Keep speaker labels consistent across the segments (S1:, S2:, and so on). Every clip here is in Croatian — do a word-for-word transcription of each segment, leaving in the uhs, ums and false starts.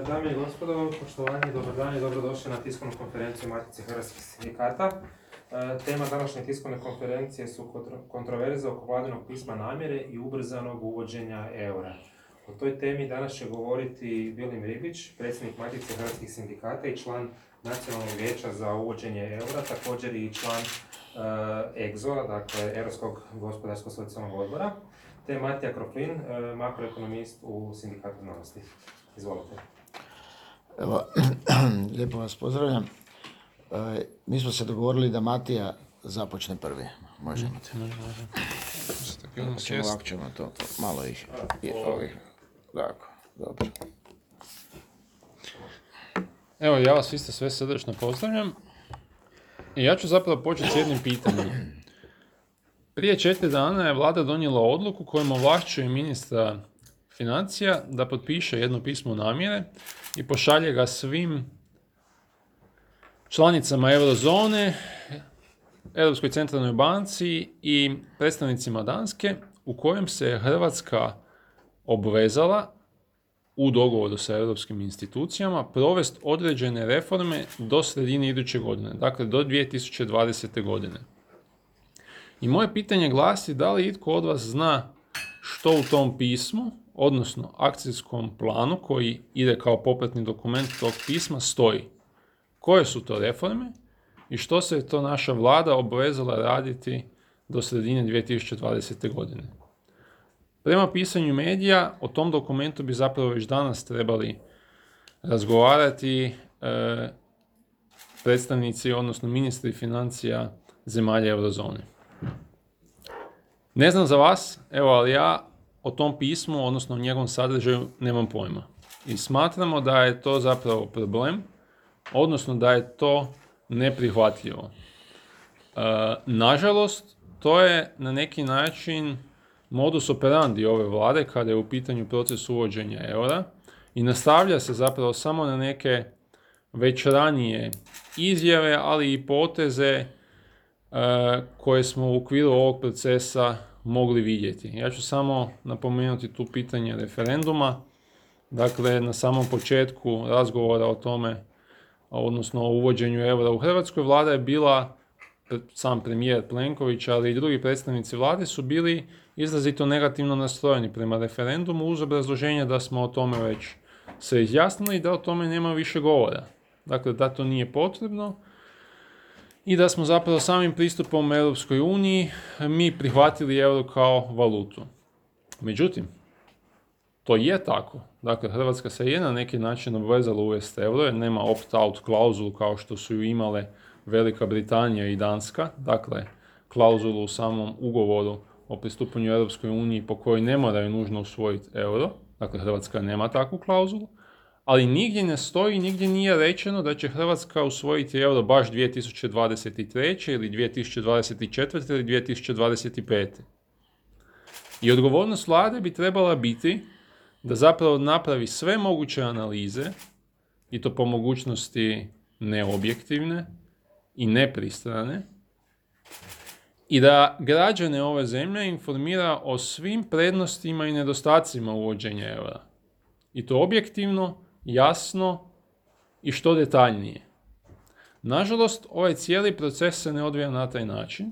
S1: Dame i gospodo, poštovanje, dobar dan i dobrodošli na tiskovnu konferenciju Matice hrvatskih sindikata. Tema današnje tiskovne konferencije su kontroverze oko vladinog pisma namjere i ubrzanog uvođenja eura. O toj temi danas će govoriti Vilim Ribić, predsjednik Matice hrvatskih sindikata i član Nacionalnog vijeća za uvođenje eura, također i član uh, E G Z O, dakle Europskog gospodarsko-socijalnog odbora, te Matija Kroflin, uh, makroekonomist u Sindikatu znanosti. Izvolite.
S2: Evo, lijepo vas pozdravljam. E, mi smo se dogovorili da Matija započne prvi. Možemo te. Možemo. Ćemo, ovako ćemo to malo ih. I ovih. Tako, dobro.
S3: Evo, ja vas isto sve srdačno pozdravljam. I ja ću zapravo početi s jednim pitanjem. Prije četiri dana je vlada donijela odluku kojom ovlašćuje ministra financija da potpiše jedno pismo namjere i pošalje ga svim članicama eurozone, Europskoj centralnoj banci i predstavnicima Danske, u kojem se Hrvatska obvezala u dogovoru sa europskim institucijama provesti određene reforme do sredine iduće godine, dakle do dvije tisuće dvadesete. godine. I moje pitanje glasi da li itko od vas zna što u tom pismu, odnosno akcijskom planu koji ide kao popratni dokument tog pisma, stoji. Koje su to reforme i što se je to naša vlada obvezala raditi do sredine dvije tisuće dvadesete. godine. Prema pisanju medija, o tom dokumentu bi zapravo već danas trebali razgovarati e, predstavnici, odnosno ministri financija zemalja eurozone. Ne znam za vas, evo, ali ja o tom pismu, odnosno o njegovom sadržaju, nemam pojma. I smatramo da je to zapravo problem, odnosno da je to neprihvatljivo. E, nažalost, to je na neki način modus operandi ove vlade kada je u pitanju proces uvođenja eura i nastavlja se zapravo samo na neke već ranije izjave, ali i poteze e, koje smo u okviru ovog procesa mogli vidjeti. Ja ću samo napomenuti tu pitanje referenduma. Dakle, na samom početku razgovora o tome, odnosno o uvođenju eura u Hrvatskoj, vlada je bila, sam premijer Plenković, ali i drugi predstavnici vlade su bili izrazito negativno nastrojeni prema referendumu uz obrazloženje da smo o tome već se izjasnili i da o tome nema više govora. Dakle, da to nije potrebno i da smo zapravo samim pristupom Europskoj uniji mi prihvatili euro kao valutu. Međutim, to je tako. Dakle, Hrvatska se je na neki način obvezala uvesti euro jer nema opt-out klauzulu kao što su ju imale Velika Britanija i Danska. Dakle, klauzulu u samom ugovoru o pristupanju Europskoj uniji po kojoj ne moraju nužno usvojiti euro. Dakle, Hrvatska nema takvu klauzulu. Ali nigdje ne stoji, nigdje nije rečeno da će Hrvatska usvojiti euro baš dvije tisuće dvadeset treće ili dvije tisuće dvadeset četvrte ili dvije tisuće dvadeset pete. I odgovornost vlade bi trebala biti da zapravo napravi sve moguće analize, i to po mogućnosti neobjektivne i nepristrane, i da građane ove zemlje informira o svim prednostima i nedostacima uvođenja eura. I to objektivno, jasno i što detaljnije. Nažalost, ovaj cijeli proces se ne odvija na taj način.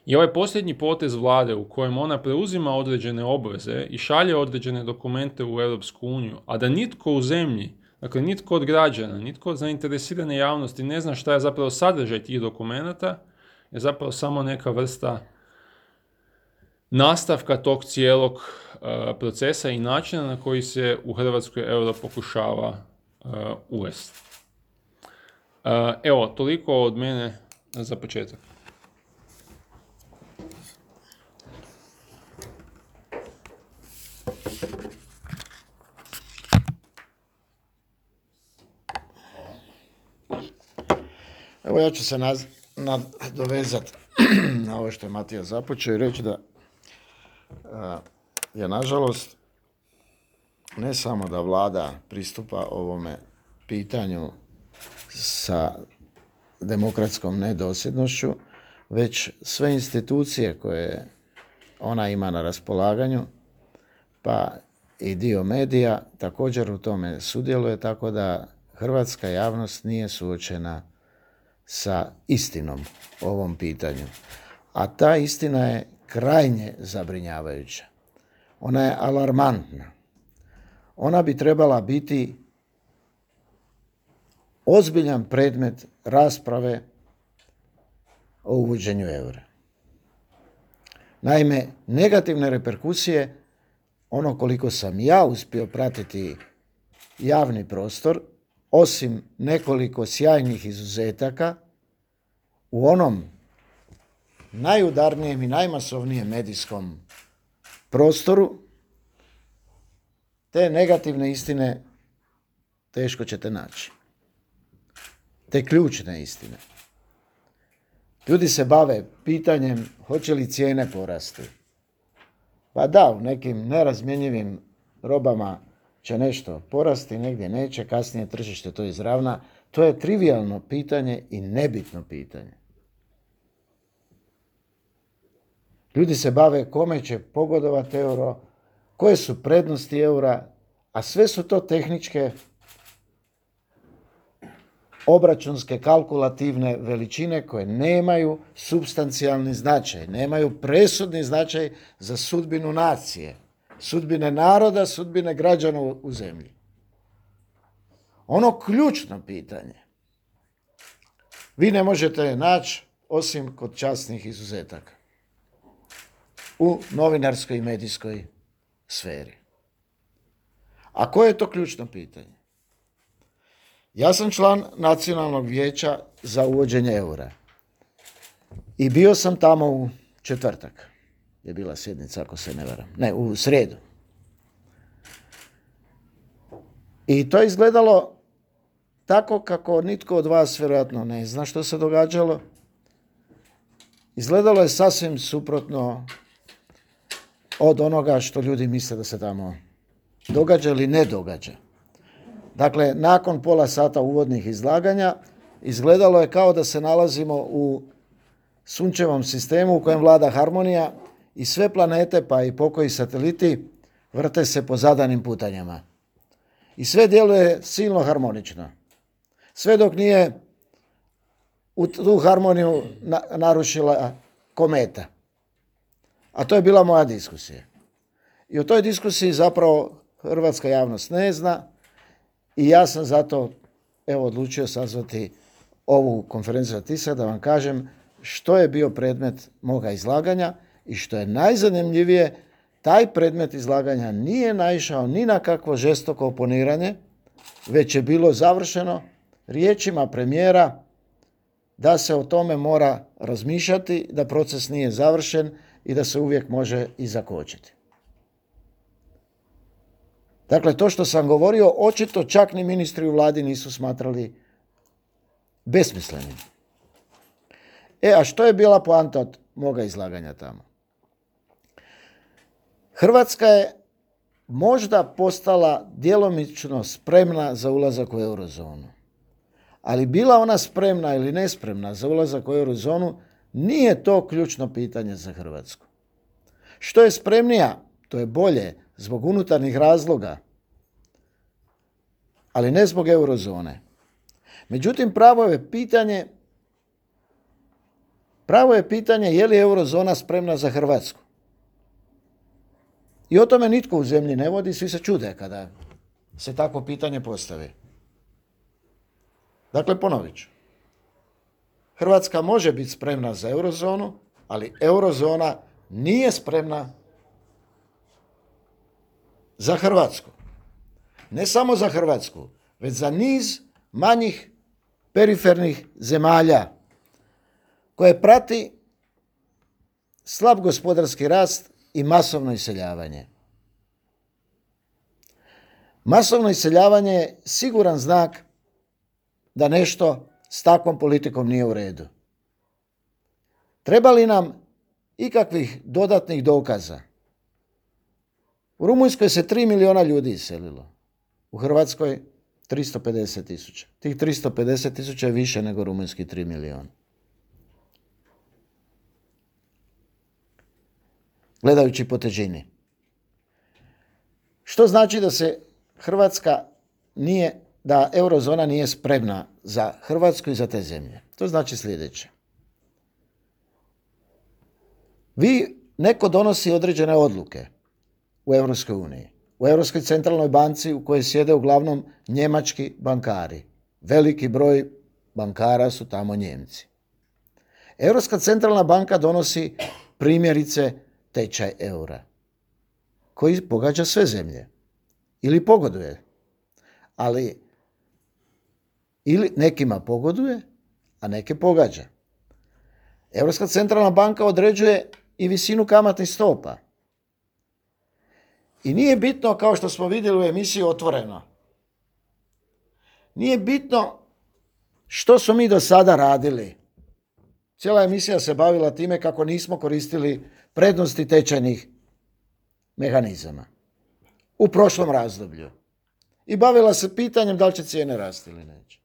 S3: I ovaj posljednji potez vlade u kojem ona preuzima određene obveze i šalje određene dokumente u Europsku uniju, a da nitko u zemlji, dakle nitko od građana, nitko od zainteresirane javnosti ne zna šta je zapravo sadržaj tih dokumenata, je zapravo samo neka vrsta nastavka tog cijelog uh, procesa i načina na koji se u Hrvatskoj euro pokušava uh, uvesti. Uh, evo, toliko od mene za početak.
S2: Evo ja ću se naz- nadovezati na ovo što je Matija započeo i reći da a, je nažalost ne samo da vlada pristupa ovome pitanju sa demokratskom nedosljednošću, već sve institucije koje ona ima na raspolaganju, pa i dio medija također u tome sudjeluje, tako da hrvatska javnost nije suočena sa istinom o ovom pitanju. A ta istina je krajnje zabrinjavajuća. Ona je alarmantna. Ona bi trebala biti ozbiljan predmet rasprave o uvođenju eura. Naime, negativne reperkusije, ono koliko sam ja uspio pratiti javni prostor, osim nekoliko sjajnih izuzetaka, u onom najudarnijem i najmasovnijem medijskom prostoru, te negativne istine teško ćete naći. Te ključne istine. Ljudi se bave pitanjem hoće li cijene porasti. Pa da, u nekim nerazmjenjivim robama će nešto porasti, negdje neće, kasnije tržište to izravna. To je trivijalno pitanje i nebitno pitanje. Ljudi se bave kome će pogodovati euro, koje su prednosti eura, a sve su to tehničke, obračunske, kalkulativne veličine koje nemaju supstancijalni značaj, nemaju presudni značaj za sudbinu nacije, sudbine naroda, sudbine građana u zemlji. Ono ključno pitanje vi ne možete naći osim kod časnih izuzetaka u novinarskoj i medijskoj sferi. A koje je to ključno pitanje? Ja sam član Nacionalnog vijeća za uvođenje eura i bio sam tamo u četvrtak. Je bila sjednica, ako se ne varam. Ne, u srijedu. I to je izgledalo tako kako nitko od vas vjerojatno ne zna što se događalo. Izgledalo je sasvim suprotno od onoga što ljudi misle da se tamo događa ili ne događa. Dakle, nakon pola sata uvodnih izlaganja, izgledalo je kao da se nalazimo u sunčevom sistemu u kojem vlada harmonija i sve planete, pa i pokoji sateliti, vrte se po zadanim putanjama. I sve djeluje silno harmonično. Sve dok nije u tu harmoniju na, narušila kometa. A to je bila moja diskusija. I o toj diskusiji zapravo hrvatska javnost ne zna i ja sam zato evo odlučio sazvati ovu konferenciju za tisak da vam kažem što je bio predmet moga izlaganja i što je najzanimljivije, taj predmet izlaganja nije naišao ni na kakvo žestoko oponiranje, već je bilo završeno riječima premijera da se o tome mora razmišljati, da proces nije završen i da se uvijek može i zakočiti. Dakle, to što sam govorio, očito čak ni ministri u vladi nisu smatrali besmislenim. E, a što je bila poanta od moga izlaganja tamo? Hrvatska je možda postala djelomično spremna za ulazak u eurozonu. Ali bila ona spremna ili nespremna za ulazak u eurozonu, nije to ključno pitanje za Hrvatsku. Što je spremnija, to je bolje zbog unutarnjih razloga, ali ne zbog eurozone. Međutim, pravo je pitanje, pravo je pitanje je li eurozona spremna za Hrvatsku. I o tome nitko u zemlji ne vodi, svi se čude kada se takvo pitanje postavi. Dakle, ponovit ću. Hrvatska može biti spremna za eurozonu, ali eurozona nije spremna za Hrvatsku. Ne samo za Hrvatsku, već za niz manjih perifernih zemalja koje prati slab gospodarski rast i masovno iseljavanje. Masovno iseljavanje je siguran znak da nešto s takvom politikom nije u redu. Treba li nam ikakvih dodatnih dokaza? U Rumunjskoj se tri milijuna ljudi iselilo. U Hrvatskoj tristo pedeset tisuća. Tih tristo pedeset tisuća je više nego rumunjski tri milijuna. Gledajući po težini. Što znači da se Hrvatska nije, da eurozona nije spremna za Hrvatsku i za te zemlje. To znači sljedeće. Vi, neko donosi određene odluke u Europskoj uniji, u Europskoj centralnoj banci u kojoj sjede uglavnom njemački bankari. Veliki broj bankara su tamo Njemci. Europska centralna banka donosi primjerice tečaj eura, koji pogađa sve zemlje. Ili pogoduje. Ali ili nekima pogoduje, a neke pogađa. Europska centralna banka određuje i visinu kamatnih stopa. I nije bitno, kao što smo vidjeli u emisiji Otvoreno, nije bitno što smo mi do sada radili. Cijela emisija se bavila time kako nismo koristili prednosti tečajnih mehanizama u prošlom razdoblju. I bavila se pitanjem da li će cijene rasti ili neće.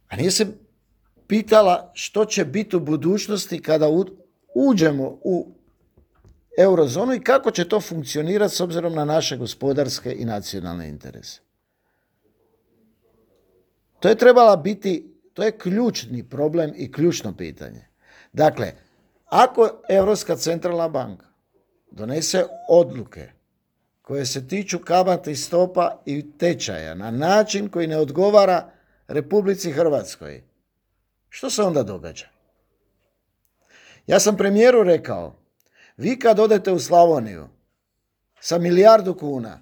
S2: A nije se pitala što će biti u budućnosti kada uđemo u eurozonu i kako će to funkcionirati s obzirom na naše gospodarske i nacionalne interese. To je trebala biti, to je ključni problem i ključno pitanje. Dakle, ako Europska centralna banka donese odluke koje se tiču kamatnih stopa i tečaja na način koji ne odgovara Republici Hrvatskoj, što se onda događa? Ja sam premijeru rekao, vi kad odete u Slavoniju sa milijardu kuna,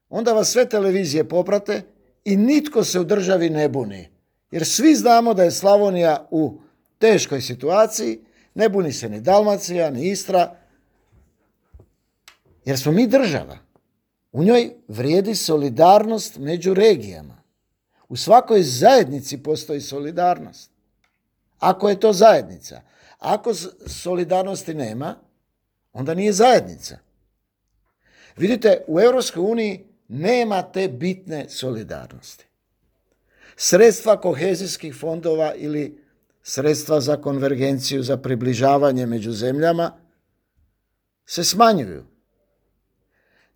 S2: onda vas sve televizije poprate i nitko se u državi ne buni. Jer svi znamo da je Slavonija u teškoj situaciji, ne buni se ni Dalmacija, ni Istra, jer smo mi država. U njoj vrijedi solidarnost među regijama. U svakoj zajednici postoji solidarnost. Ako je to zajednica. Ako solidarnosti nema, onda nije zajednica. Vidite, u Europskoj uniji nema te bitne solidarnosti. Sredstva kohezijskih fondova ili sredstva za konvergenciju, za približavanje među zemljama se smanjuju.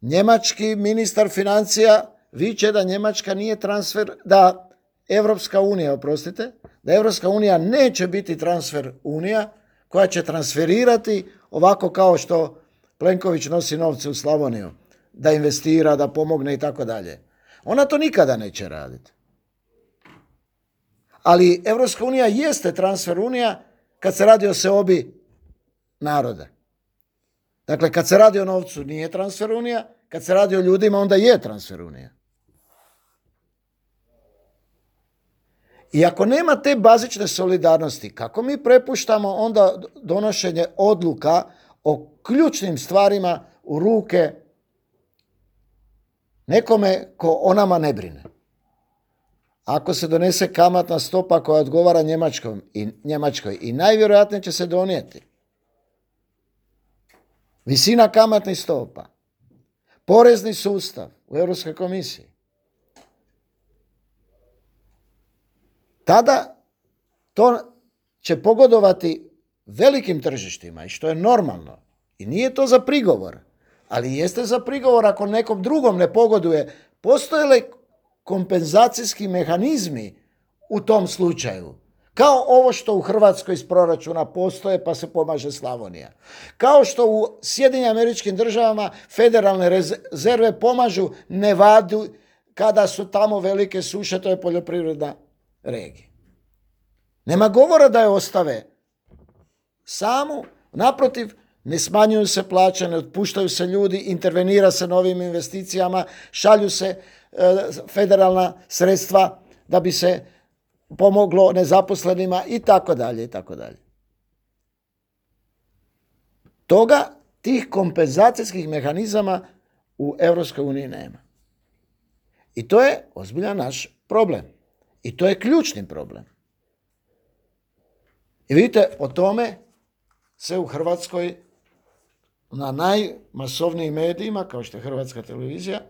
S2: Njemački ministar financija viče da Njemačka nije transfer, da Europska unija, oprostite, da Europska unija neće biti transfer unija koja će transferirati ovako kao što Plenković nosi novce u Slavoniju, da investira, da pomogne i tako dalje. Ona to nikada neće raditi. Ali Europska unija jeste transfer unija kad se radi o seobi naroda. Dakle, kad se radi o novcu nije transfer unija, kad se radi o ljudima onda je transfer unija. I ako nema te bazične solidarnosti, kako mi prepuštamo onda donošenje odluka o ključnim stvarima u ruke nekome ko o nama ne brine? Ako se donese kamatna stopa koja odgovara Njemačkoj i, Njemačkoj i najvjerojatnije će se donijeti visina kamatnih stopa, porezni sustav u Europskoj komisiji, tada to će pogodovati velikim tržištima i što je normalno. I nije to za prigovor, ali jeste za prigovor ako nekom drugom ne pogoduje. Postoje li kompenzacijski mehanizmi u tom slučaju? Kao ovo što u Hrvatskoj iz proračuna postoje pa se pomaže Slavonija. Kao što u Sjedinjenim Američkim Državama federalne rezerve pomažu Nevadu kada su tamo velike suše, to je poljoprivredna regija. Nema govora da je ostave samu, naprotiv, ne smanjuju se plaće, ne otpuštaju se ljudi, intervenira se novim investicijama, šalju se e, federalna sredstva da bi se pomoglo nezaposlenima i tako dalje i tako dalje. Toga, tih kompenzacijskih mehanizama u Europskoj uniji nema. I to je ozbiljan naš problem. I to je ključni problem. I vidite, o tome se u Hrvatskoj na najmasovnijim medijima, kao što je Hrvatska televizija,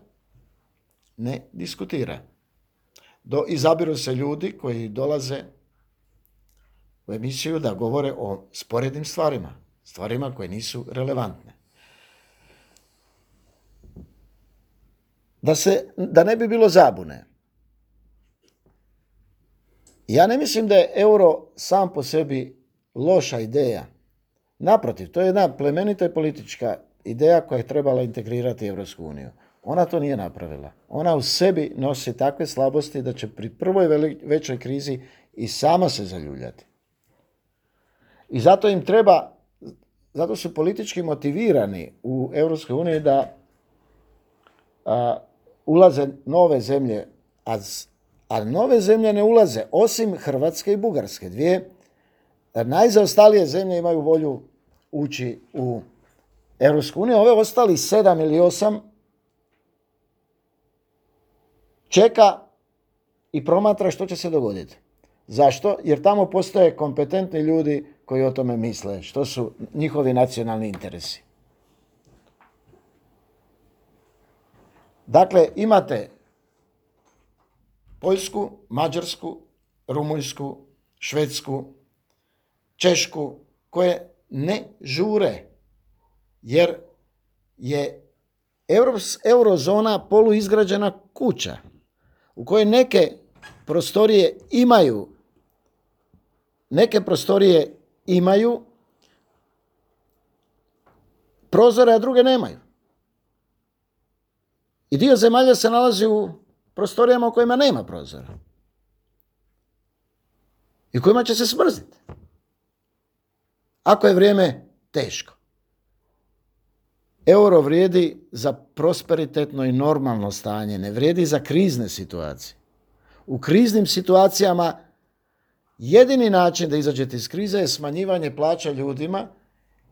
S2: ne diskutira. Do, izabiru se ljudi koji dolaze u emisiju da govore o sporednim stvarima, stvarima koje nisu relevantne. da, se, da ne bi bilo zabune. Ja ne mislim da je euro sam po sebi loša ideja. Naprotiv, to je jedna plemenita i politička ideja koja je trebala integrirati Europsku uniju. Ona to nije napravila. Ona u sebi nosi takve slabosti da će pri prvoj veli, većoj krizi i sama se zaljuljati. I zato im treba, zato su politički motivirani u Europskoj uniji da a, ulaze nove zemlje, a, a nove zemlje ne ulaze, osim Hrvatske i Bugarske. Dvije najzaostalije zemlje imaju volju ući u Europsku uniju. Ove ostali sedam ili osam čeka i promatra što će se dogoditi. Zašto? Jer tamo postoje kompetentni ljudi koji o tome misle, što su njihovi nacionalni interesi. Dakle, imate Poljsku, Mađarsku, Rumunjsku, Švedsku, Češku, koje ne žure, jer je eurozona poluizgrađena kuća u kojoj neke prostorije imaju neke prostorije imaju prozore, a druge nemaju. I dio zemalja se nalazi u prostorijama u kojima nema prozora. I kojima će se smrziti. Ako je vrijeme teško. Euro vrijedi za prosperitetno i normalno stanje, ne vrijedi za krizne situacije. U kriznim situacijama jedini način da izađete iz krize je smanjivanje plaća ljudima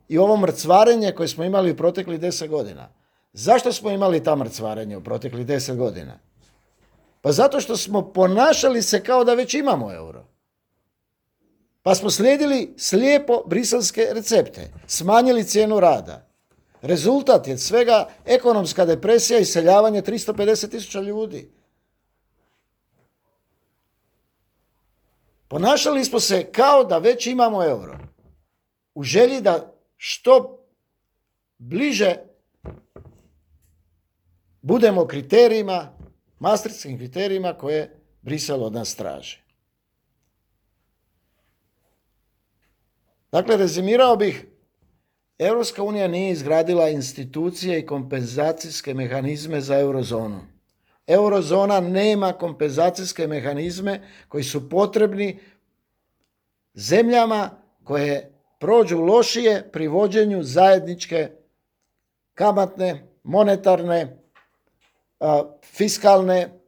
S2: i ovo mrcvarenje koje smo imali u proteklih deset godina. Zašto smo imali ta mrcvarenja u proteklih deset godina? Pa zato što smo ponašali se kao da već imamo euro. Pa smo slijedili slijepo briselske recepte, smanjili cijenu rada. Rezultat je svega ekonomska depresija i iseljavanje tristo pedeset tisuća ljudi. Ponašali smo se kao da već imamo euro. U želji da što bliže budemo kriterijima, maastrichtskim kriterijima koje Brisel od nas traži. Dakle, rezimirao bih, Europska unija nije izgradila institucije i kompenzacijske mehanizme za eurozonu. Eurozona nema kompenzacijske mehanizme koji su potrebni zemljama koje prođu lošije pri vođenju zajedničke kamatne, monetarne, fiskalne,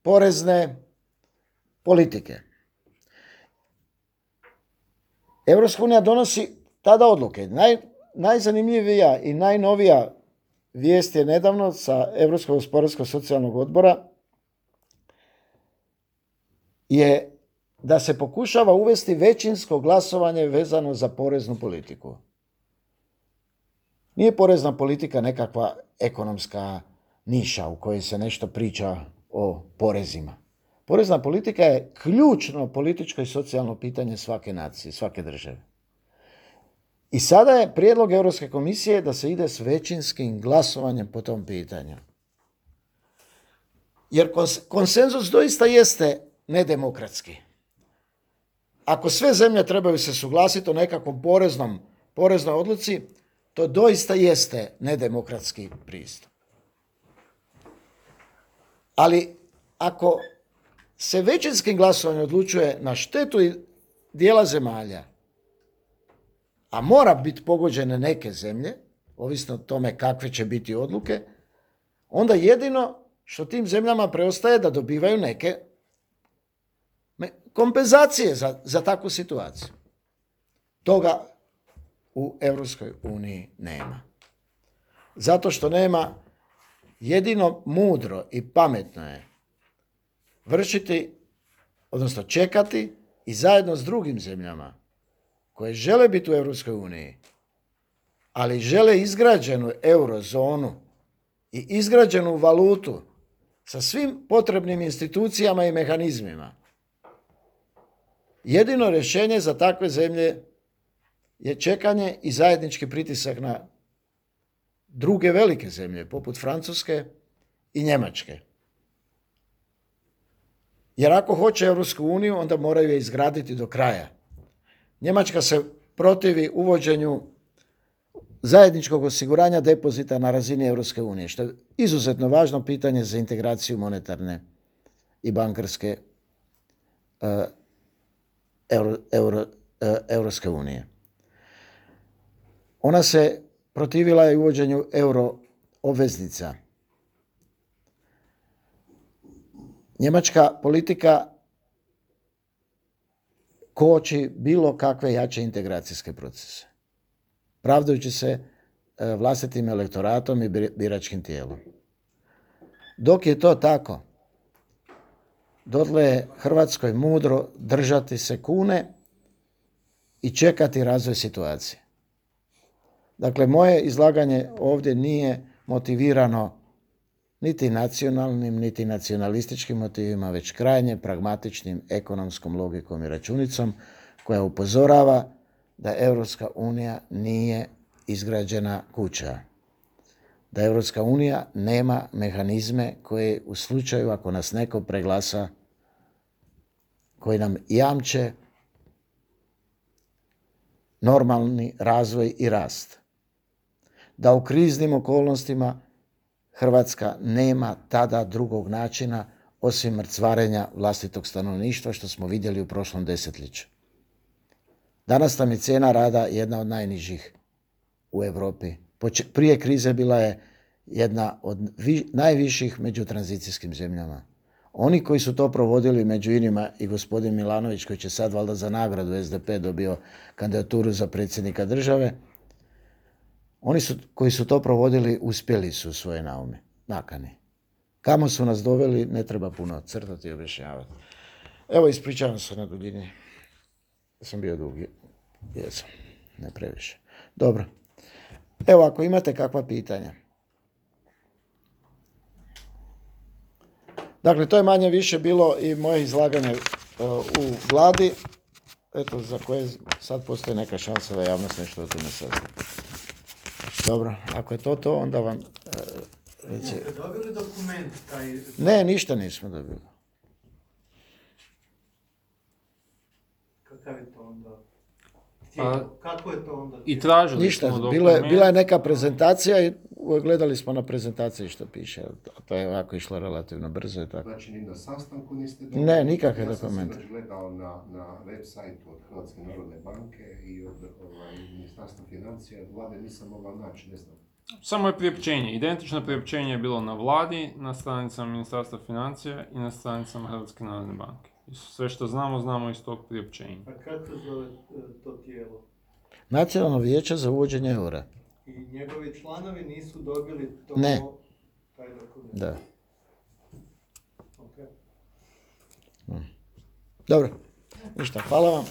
S2: porezne politike. Europska unija donosi tada odluke. Naj, najzanimljivija i najnovija vijest je nedavno sa Europskog gospodarskog socijalnog odbora je da se pokušava uvesti većinsko glasovanje vezano za poreznu politiku. Nije porezna politika nekakva ekonomska niša u kojoj se nešto priča o porezima. Porezna politika je ključno političko i socijalno pitanje svake nacije, svake države. I sada je prijedlog Europske komisije da se ide s većinskim glasovanjem po tom pitanju. Jer konsenzus doista jeste nedemokratski. Ako sve zemlje trebaju se suglasiti o nekakvom poreznom, poreznoj odluci, to doista jeste nedemokratski pristup. Ali ako se većinskim glasovanjem odlučuje na štetu dijela zemalja, a mora biti pogođene neke zemlje, ovisno o tome kakve će biti odluke, onda jedino što tim zemljama preostaje da dobivaju neke kompenzacije za, za takvu situaciju. Toga u Europskoj uniji nema. Zato što nema, jedino mudro i pametno je vršiti, odnosno čekati i zajedno s drugim zemljama koje žele biti u Europskoj uniji, ali žele izgrađenu eurozonu i izgrađenu valutu sa svim potrebnim institucijama i mehanizmima. Jedino rješenje za takve zemlje je čekanje i zajednički pritisak na druge velike zemlje, poput Francuske i Njemačke. Jer ako hoće Europsku uniju, onda moraju je izgraditi do kraja. Njemačka se protivi uvođenju zajedničkog osiguranja depozita na razini Europske unije, što je izuzetno važno pitanje za integraciju monetarne i bankarske uh, Euro, Euro, uh, Europske unije. Ona se protivila i uvođenju euro obveznica. Njemačka politika koči bilo kakve jače integracijske procese, pravdajući se vlastitim elektoratom i biračkim tijelom. Dok je to tako, dotle je Hrvatskoj mudro držati se kune i čekati razvoj situacije. Dakle, moje izlaganje ovdje nije motivirano niti nacionalnim, niti nacionalističkim motivima, već krajnje pragmatičnim ekonomskom logikom i računicom koja upozorava da Europska unija nije izgrađena kuća. Da Europska unija nema mehanizme koje u slučaju ako nas neko preglasa, koji nam jamče normalni razvoj i rast. Da u kriznim okolnostima Hrvatska nema tada drugog načina osim mrcvarenja vlastitog stanovništva, što smo vidjeli u prošlom desetljeću. Danas nam je cijena rada jedna od najnižih u Europi. Prije krize bila je jedna od vi, najviših među tranzicijskim zemljama. Oni koji su to provodili, među inima i gospodin Milanović, koji će sad valjda za nagradu S D P dobio kandidaturu za predsjednika države, oni su, koji su to provodili uspjeli su u svoje naume, nakani. Kamo su nas doveli, ne treba puno crtati i objašnjavati. Evo, ispričavam se na duljini. Sam bio dugi. Jesam. Ne previše. Dobro. Evo, ako imate kakva pitanja. Dakle, to je manje više bilo i moje izlaganje uh, u Vladi, eto, za koje sad postoji neka šansa da javnost nešto o tome sazna. Dobro, ako je to to, onda vam... Uh, reci...
S4: Jeste dobili dokument taj...
S2: Ne, ništa nismo dobili.
S4: Kakav je to onda?
S3: A,
S4: Kako je to onda?
S3: I tražili
S2: Ništa,
S3: smo
S2: bilo je,
S3: dokument.
S2: bila je neka prezentacija i gledali smo na prezentaciji što piše. To je ovako išlo relativno brzo i tako.
S5: Znači, ni na sastanku niste dobili?
S2: Ne, nikakve
S5: ja
S2: dokumente.
S5: Ja sam se gledao na, na web sajtu od Hrvatske narodne banke i od ovaj, Ministarstva financija, od vlade nisam mogao naći, ne znam.
S3: Samo je priopćenje. Identično priopćenje je bilo na vladi, na stranicama Ministarstva financija i na stranicama Hrvatske narodne banke. I sve što znamo, znamo iz tog priopćenja.
S4: A kako se zove to tijelo?
S2: Nacionalno vijeće za uvođenje eura.
S4: I njegovi članovi nisu dobili to,
S2: Ne.
S4: taj dokument?
S2: Da.
S4: Okay.
S2: Dobro. Ništa, hvala vam.